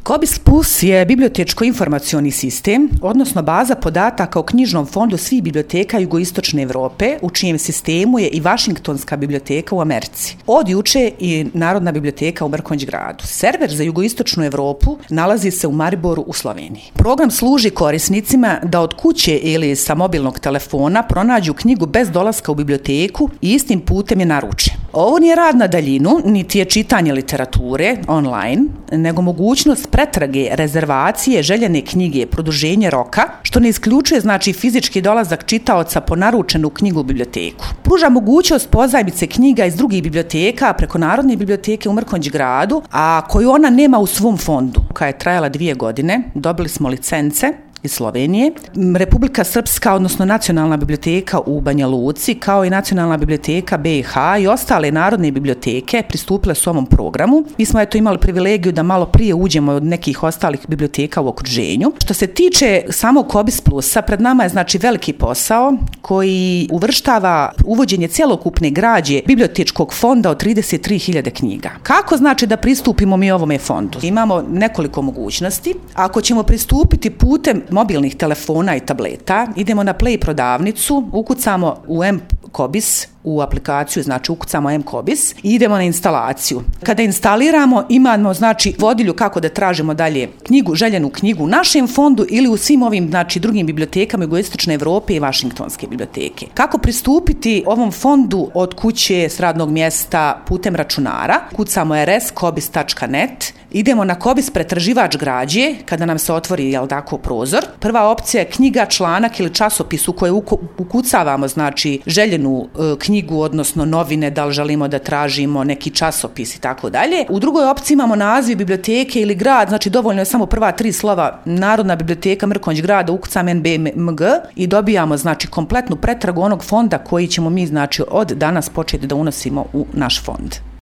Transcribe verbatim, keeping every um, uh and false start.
Kobis Plus je bibliotečko-informacioni sistem, odnosno baza podataka o knjižnom fondu svih biblioteka jugoistočne Evrope, u čijem sistemu je i Vašingtonska biblioteka u Americi. Od juče i Narodna biblioteka u Mrkonjić-gradu. Server za jugoistočnu Evropu nalazi se u Mariboru u Sloveniji. Program služi korisnicima da od kuće ili sa mobilnog telefona pronađu knjigu bez dolaska u biblioteku i istim putem je naruče. Ovo nije rad na daljinu, niti je čitanje literature online, nego mogućnost pretrage, rezervacije, željene knjige, produženje roka, što ne isključuje znači fizički dolazak čitaoca po naručenu knjigu u biblioteku. Pruža mogućnost pozajmice knjiga iz drugih biblioteka preko Narodne biblioteke u Mrkonjić-gradu, a koju ona nema u svom fondu, koja je trajala dvije godine. Dobili smo licence iz Slovenije. Republika Srpska, odnosno Nacionalna biblioteka u Banja Luci, kao i Nacionalna biblioteka B i H i ostale narodne biblioteke pristupile su ovom programu. Mi smo eto imali privilegiju da malo prije uđemo od nekih ostalih biblioteka u okruženju. Što se tiče samog Kobis Plusa, pred nama je znači veliki posao koji uvrštava uvođenje cjelokupne građe bibliotečkog fonda od trideset tri hiljade knjiga. Kako znači da pristupimo mi ovome fondu? Imamo nekoliko mogućnosti. Ako ćemo pristupiti putem mobilnih telefona i tableta, idemo na Play prodavnicu, ukucamo u M-Kobis, u aplikaciju, znači ukucamo M-Kobis i idemo na instalaciju. Kada instaliramo, imamo znači vodilju kako da tražimo dalje knjigu, željenu knjigu u našem fondu ili u svim ovim znači drugim bibliotekama jugoistočne Evrope i Vašingtonske biblioteke. Kako pristupiti ovom fondu od kuće, s radnog mjesta, putem računara? Kucamo er es kobis tačka net, idemo na Kobis pretraživač građe, kada nam se otvori jel tako prozor. Prva opcija je knjiga, članak ili časopis u koje ukucavamo znači željenu e, knjigu, odnosno novine, da li želimo da tražimo neki časopis i tako dalje. U drugoj opciji imamo naziv biblioteke ili grad, znači dovoljno je samo prva tri slova Narodna biblioteka Mrkonjić-grada, ukucam en be em ge i dobijamo znači kompletnu pretragu onog fonda koji ćemo mi znači od danas početi da unosimo u naš fond.